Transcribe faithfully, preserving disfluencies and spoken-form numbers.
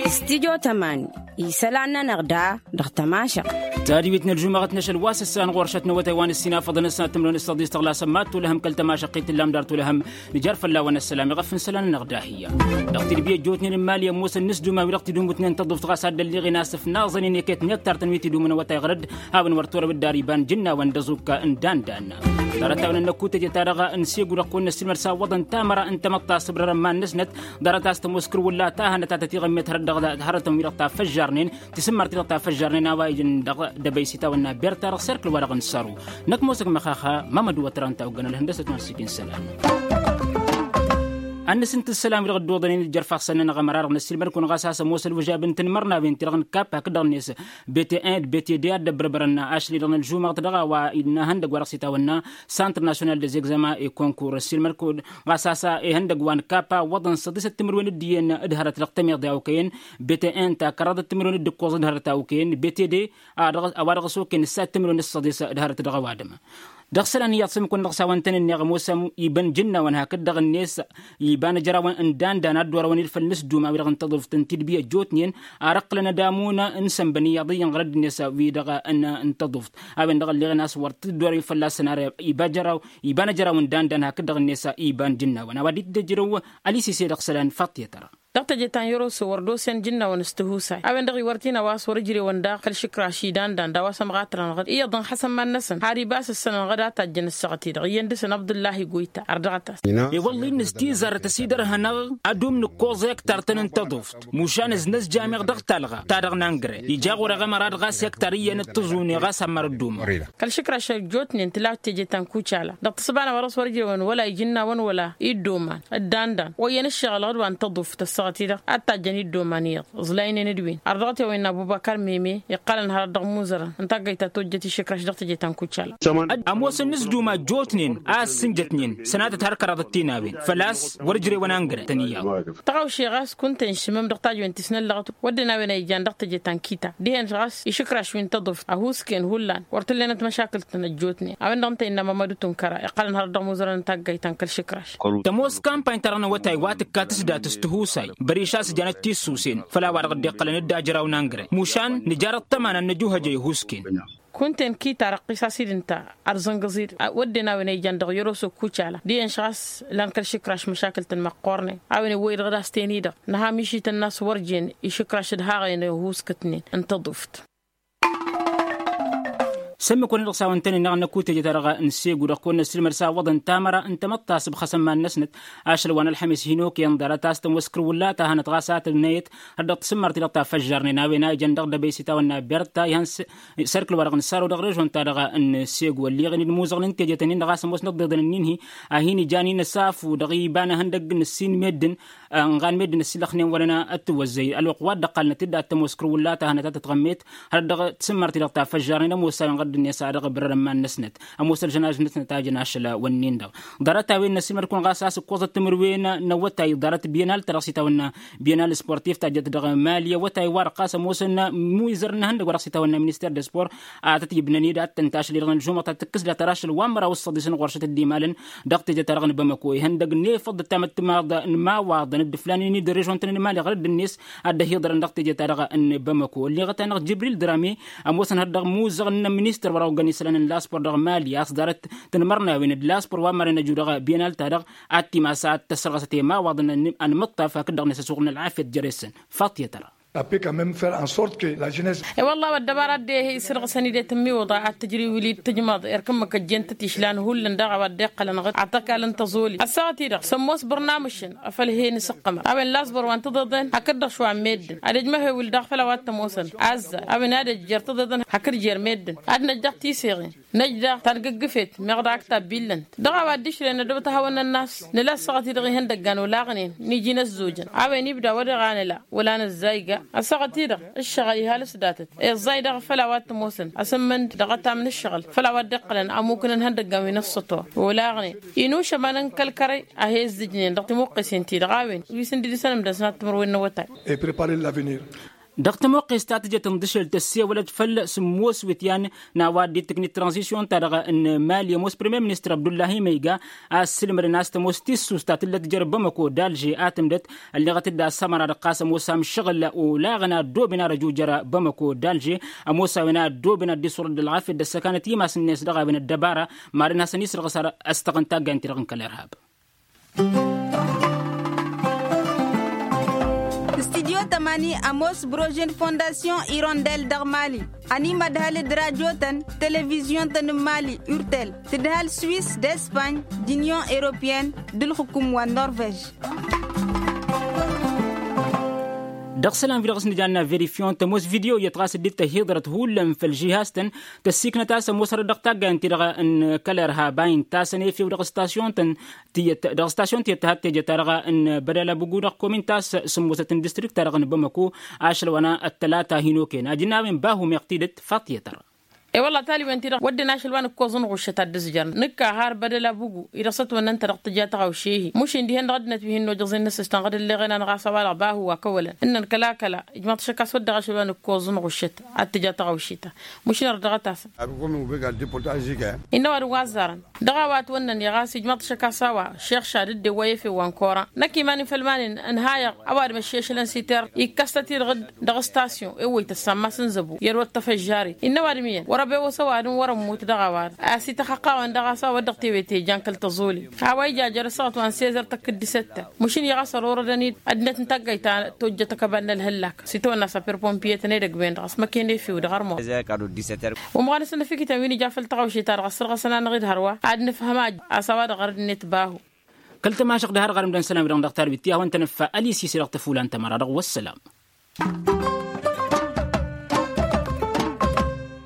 Stidyo tămani isălan-nănăɣ da dăɣ-tămašăɣt. Tadwit n-ălžumăɣăt n-ašăl wa s-ǝssan ɣur-ašăt n-awătay wa n-ǝssin afăḍăn ăssanăt timǝrwen s-săḍis tăɣlasăn mad-tulăhăm kăl-tămašăɣt i-tǝllam dar tulăhăm. Nǝjar fălla-wen ăssălam iɣăf n-isălan-nănăɣ dahi-ya dăɣ-tidbi ăjjootnen n-imali ămoosăn n-ǝsduma wi-dăɣ tidumǝtnen tăḍuft ɣas ad-dd-ălliɣen a-s ǝfnaẓăn-in iket n-iktart n-wi tidumǝn awătay ɣărăd. Hawăn wăr turăw dd-ar iba n-ijǝnnawăn d-ăẓukka n-dandan. Ḍarăt-a-wen ănnăkutăjăt-a-dăɣ n-segu dăɣ-kăwăn-năssiilmăd s-awwăḍăn tamăra n-tamăḍt ta s-ǝbrărăn iman-năsnăt. Ḍarăt a-s tămoos kăr-wălla ta hănăt a tătiɣămmet hărăt dăɣ-dăɣ hărătăn wi-dăɣ ta făžžarnen tisǝmmărt-i-dăɣ ta făžžarnen a-wa ijăn dăɣ-dăbăy s-itawănna berta dăɣ-serkǝl-wa-dăɣ n-săru. Năkk mosăk măxaxa mamăd wătran ta oggăn ălhăndăsăt n-ad-sǝkin isălan. Ad-nǝsǝnt isălan wi-dăɣ dd-oḍănen d-jărfaɣ-săn-nănăɣ ămăra-dăɣ n-ăssiilmăd-kăwăn ɣas a-s ămoos ălwǝžab n-tinmărnawen ti-dăɣ n-kappa hakd-dăɣ-net. Bete-en d-bete-de ad-dd-ăbbărbărăn ašăl-i-dăɣ n-ălžumăɣt dăɣ-a-wa innă ihăndăgg wa dăɣ-s itawănna. Santr national des examens et concours ăssiilmăd-kăwăn ɣas a-s ihăndăgg wa n-kappa ăwwăḍăn săḍisăt timǝrwen d-iyyăn d-hărăt dăɣ-tămiḍe a okăyăn. Bete-en ta kăraḍăt timǝrwen d-ǝkkoẓ d-hărăt a okăyăn bete-de a-wa dăɣ-s okăyăn ǝssa timǝrwen d-săḍis d-hărăt dăɣ-ăwadǝm. Dăɣ-isălan iyyăḍ s-ǝmmǝk-wăn dăɣ-s a-wăn tăn-ǝnneɣ ămoosăm iba n-ijǝnnawăn hakd-dăɣ-net iba n-ejărawăn n-dandan ad-dd-orăwăn ilfăl n-ǝsdum a-wi-dăɣ n-taḍuft n-tidbi ăjjootnen. Ar ǝqqǝlăn ad-amǝwǝn n-isănbăn iyyăḍ iyyăn ɣărădd-net wi-dăɣ n-taḍuft a-wen-dăɣ ălleɣen a-s wăr t-dd-orăw ifălla-săn ar iba n-ejăraw n-dandan hakd-dăɣ-net iba n-ijǝnnawăn a-wa dd-ăjrăw. Ălisise dăɣ-isălan faṭṭiyăt-ra. Dăɣ-teje ta n-yăroso wăr dd-osen jǝnnawăn s-tihusay a-wen-dăɣ iwăr t-in-ăwas wăr ǝjrewăn daɣ kăl-išǝkraš i-dandan d-a-wa s-ămɣatărăn ɣǝd iyyăḍ n-xasăn iman-năsăn har iba s-ǝssănăn ɣǝd a tajjăn ăssaɣăt-i-dăɣ iyyăn dăɣ-săn abdullahi goyta. Ărdăɣăt-as. E-wălla-i n-ăstizarăt ăsidărhănăɣ ad-umnǝkkoẓ iktart-tăn n-taḍuft mušan ǝznăzjam-iɣ dăɣ-talɣa ta-dăɣ n-angre ija ɣur-eɣ ămăra d-ɣas iktar iyyăn d-tǝẓune ɣas ămmăr ădduman. Kăl-išǝkraš ăjjootnen tǝla teje ta n-kucala dăɣ-tǝssǝba n-a-wa dăɣ-s wăr ǝjrewăn wăla ijǝnnawăn wăla iddoman d-dandan wa iyyăn ǝššăɣǝl ɣǝd wa n-taḍuft ăssaɣăt-i-dăɣ ad-tajjăn iddoman iyyăḍ. Ẓlaynen d-win ar dăɣ-t i-a-wa innă abubăkar meme iqqălăn hărăt dăɣ-imuzărăn n-taggayt ta tojjăt išǝkraš dăɣ-teje ta n-kucala. Ămoosăn n-ǝzdum a ăjjootnen a ăssǝnjătnen sănatăt har kăraḍăt tinawen făl-a-s wăr-ǝjrewăn angre-tăn iyyăḍ. Tăɣawše ɣas kunta-in šǝmăm dăɣ-tajwen ti s-năllăɣăt wădden a-wen a ijan dăɣ-teje ta n-kita dihen ɣas išǝkraš wi n-taḍuft ăhuusken hullan wăr t-ǝllenăt măšakǝl-tăn ăjjootnen a-wen-dăɣ ǝnta innă mămădu tunkăra iqqălăn hărăt dăɣ-imuzărăn n-taggayt ta n-kăl-išǝkraš. Tămoos kampany-ta-dăɣ n-awătay wa tǝkkat s-dat s-tihusay băriš a-s janăt tissusen făll-a-wa-dăɣ dd-iqqălăn d-ajraw n-angre mušan nǝjar ăṭṭăma n-ad-nǝjuhăj a ihuusken. Kunta-in kita răqqis-as-dd ǝnta ărzǝngǝẓ-i-dăɣ wădden a-wen a ijan dăɣ-yăroso kucala dihen ɣas lan kăl-išǝkraš măšakǝl-tăn măqqoornen a-wen iwwăy-dăɣ d-ass-ten-i-dăɣ nǝha mišităn n-a-s wăr jen išǝkraš d-haɣen ăhuuskătnen n-taḍuft. S-ǝmmǝk-wăn-dăɣ s-a-wăn tăn-ǝnneɣ n-ăkutăjăt-a-dăɣ n-segu-dăɣ kăwăn-năssilmăd s-a ǝwwăḍăn tamăra n-tamăḍt ta s-ǝbxăsăn iman-năsnăt. Ašăl wa n-ălxămes hin-okăyăn ḍarăt a-s tămoos kăr-wǝlla ta hanăt ɣas a tănnăyăt har dăɣ-tǝsǝmmărti dăɣ-ta făžžarnen a-wen a ijăn dăɣ-dăbăy s-itawănna berta ihăn s-sărkǝl-wa-dăɣ n-săro dăɣ-režon-ta-dăɣ n-segu ălliɣen-dd imuzăɣăn n-tejătăn-in-dăɣ a-s ămoosnăt d-iḍăn ǝnnin-hi a hin-ijan-in ăsafu dăɣ-iba n-ehăndăgg n-ǝssin meddǝn. Ănɣan meddǝn ăssilăxnen wăren ad-tǝwăzzăy ălwăqq wa dd-ăqqalnăt-dd ad-tămoos kăr-wǝlla ta hanăt ad-tătɣămmet hărăt dăɣ-tisǝmmărti-dăɣ ta făžžarnen ămoos a-wen ɣăr dd-net a dăɣ-ibrărăn iman-năsnăt. Ămoos ălžănaž-năsnăt a jăn ašăl wănnin-dăɣ ḍarăt-a-wen n-ăssilmăd-kăwăn ɣas a-s ǝkkoẓăt timǝrwen n-awătay ḍarăt bienal ta dăɣ-s itawănna bienal sportif ta jăt dăɣ-mali awătay wa dăɣ-ɣas ămoosăn imwizărăn n-ehăndăgg wa dăɣ-s itawănna minister de sport. A tăt-ibnăn-dd ad-tăn-tašăl i-dăɣ n-ălžumăɣ ta tǝkkǝs dat-ar ašăl wa n-măraw s-săḍisăn ɣur-šăt dd-imalăn dăɣ-teje-ta-dăɣ n-bamăko ihăndăgg n-efăḍ d-tamăttămaḍ n-imawaḍăn d-ǝflanen-dd režon-tăn n-imali ɣărădd-net ad-dd-ăhiḍărăn dăɣ-teje-ta-dăɣ n-bamăko ălleɣăt-anăɣ jibril drame. Ămoosăn hăr dăɣ-imuzăɣ n-ministăr wăr-a oggăn isălan n-laspor dăɣ-mali a-s ḍarăt tinmărnawen d-laspor wa n-maren ăju dăɣ-bienal-ta-dăɣ ad-timas ad-tăssărɣăsăt i-imawaḍăn. Anmǝṭṭaf hakd-dăɣ-net ăsuɣǝl n-ălɣafyăt jere-săn. Faṭiyăt-ra. Ăppe quand meme faire en sorte que la jeunesse. E-wălla-ɣ ăddăbara dd-e-hi sărɣǝsăn-dd i-tǝmmiwǝḍa ad-tǝjrǝy wǝlli d-tǝjmaḍ erk ǝmmǝk ăjjeen-tăt išlan hullan daɣ a-wa dd-iqqălăn ɣǝd ad-t-ăkall n-tăẓoli ăssaɣăt-i-dăɣ s-ămoos bărnamušăn. Afăl he-nǝsǝqqămăr a-wen lasbăr wa n-tiḍeḍen hakd-dăɣ šwa n-meddǝn ad-ăjmăhewǝl daɣ făll-a-wa t-ămoosăn azzar a-wen ad-ăj jer-tiḍeḍen hakd jer-meddǝn ad-năj daɣ tiseɣen. Năj daɣ tanǝggǝgǝfet meɣ daɣ ăktab billăn-t dăɣ-a-wa dd-išrăyăn ăddăbăt ad-hawăn-nănn a-s nǝla ăssaɣăt-i-dăɣ ihăndăggan olaɣnen n-iji n-ăzzojăn a-wen ibda wăr-dăɣ a nǝla wăla nǝzzayga. Ăssaɣăt-i-dăɣ ǝššăɣǝl ihal s-datăt iẓẓay daɣ făll-a-wa t-ămoosăn asǝmmǝnd dăɣ-ătam n-ǝššăɣǝl făll-a-wa dd-iqqălăn ămmuk n-ihăndăggan wi n-ǝssător olaɣnen inušămăn n-kăl-kărăy a he-ǝzzǝjnen dăɣ-timuqqesen-ti-dăɣ a-wen wi s-ǝndǝdǝsăn ǝmdăsnat timǝrwen n-awătay. Et préparer l'avenir. Dăɣ-tămoqqes ta tǝjăt n-dăšel tăssewălăt făll-sǝmmos wǝtyan n-a-wa dd-tǝknit tranzisyon-ta-dăɣ n-mali ămoos premyer ministăr abdullahi măyga a ăssǝlmădăn a-s tămoos tissust ta tǝllăt jer-bamăko d-alže a tǝmdăt. Ălleɣăt-dd a-s ămăra-dăɣ ɣas ămoos amšăɣǝl olaɣăn a ăddooben ar ăjujăr bamăko d-alže. Ămoos a-wen a ăddooben ad-dd-isurăd d-ălɣafyăt d-ăssăkanăt imas-net dăɣ-a-wen ăddăbara. Maren hasăn-isrăɣ s-ad-ăstăɣ n-taggaynt-i-dăɣ n-kăl-irhab. Studyo tămani ămoos brožen fondasyon irondel dăɣ-mali. Ănimădhăl d-rajotăn televizyon-tăn n-mali urtel tǝdhăl swis d-espany d-unyon europeyăn d-ǝlxǝkum wa n-norvej. Dăɣ-isălan wi-dăɣ s-nǝjanna verifyon tămoos video iyyăt ɣas dd-tăhiḍărăt hullan făll-žihaz-tăn. Tăssiiknăt a-s ămoosărăt dăɣ-taggayăn-ti-dăɣ n-kăl-irhab a intasăn efew dăɣ-stasyon-tăn tiyyăt dăɣ-stasyon tiyyăt tăhat tejăt-ta-dăɣ n-bădăl abugu dăɣ-komin ta s-sǝmmosăt n-distrikt-ta-dăɣ n-bamăko. Ašăl wa n-ăttălata hin-okăyăn ajǝnna a-wen bahu meɣ tidǝt faṭiyăt-ărra. E-wălla taliwen-ti-dăɣ wădden ašăl wa n-ǝkkoẓ n-ɣuššăt ad-dd-ǝzjărăn nǝkka har bădăl abugu-i dăɣ-s ătwănnăn-tădăɣ tǝja tăɣawše-hi mušin dihen-dăɣ ăddinăt wi hin-nojăẓ-in n-asǝštan ɣad ǝlleɣen-anăɣ a-s a-wa-dăɣ bahu wa kăwălăn ǝnnăn kăla-kăla ijmaḍ-t ašăk a-s wădden ašăl wa n-ǝkkoẓ n-ɣuššăt ad-tǝja tăɣawše-ta. Mušin ărdăɣăt-asăn. Innă ăwadǝm wa ăzzarăn dăɣ-a-wa ătwănnăn-i ɣas ijmaḍ-t ašăk a-s a-wa šeɣ šad dd-ewwăy efew wa n-koran năkk iman-in făll-iman-in ǝnhayăɣ. Ăwadǝm ăššešălăn s-iter ikkăs-tăt-i-dăɣ dăɣ-stasyon ewwăy tăssammas n-zăbu i-ălwăt tăfăžžaret innă ăwadǝm iyyăn wăr-ăbewăs ăwadǝm wăr-ămmut dăɣ-a-wa-dăɣ a-s ităxăqqawăn dăɣ-a-s a-wa dd-tewe tejan kăl-tăẓoli. A-wa ija jer-ăssaɣăt wa n-sezer tăkk-dd isăttăn. Măšin iɣas ărorădăn-dd ăddinăt n-taggayt ta tojjăt ăkăbal n-ălhăllak s-itawănna s-apirpompiye-tăn edăgg-wen-dăɣ a-s măken efew dăɣ-armon. Wa n-ăsnăfikităn wi n-ija făll-tăɣawše-ta-dăɣ ăssărɣăsăn-anăɣ-dd hărwa ad-nǝfhăm a ăsawa-dăɣ ɣărăd-net bahu. Kăl-tămašăɣt d-har ɣarǝm d-ănn isălan wi-dăɣ n-dăɣ tarwit ti hawăn-tăn-ǝffa ălisisi dăɣ-tăfula n-tămăra-dăɣ wăssălam.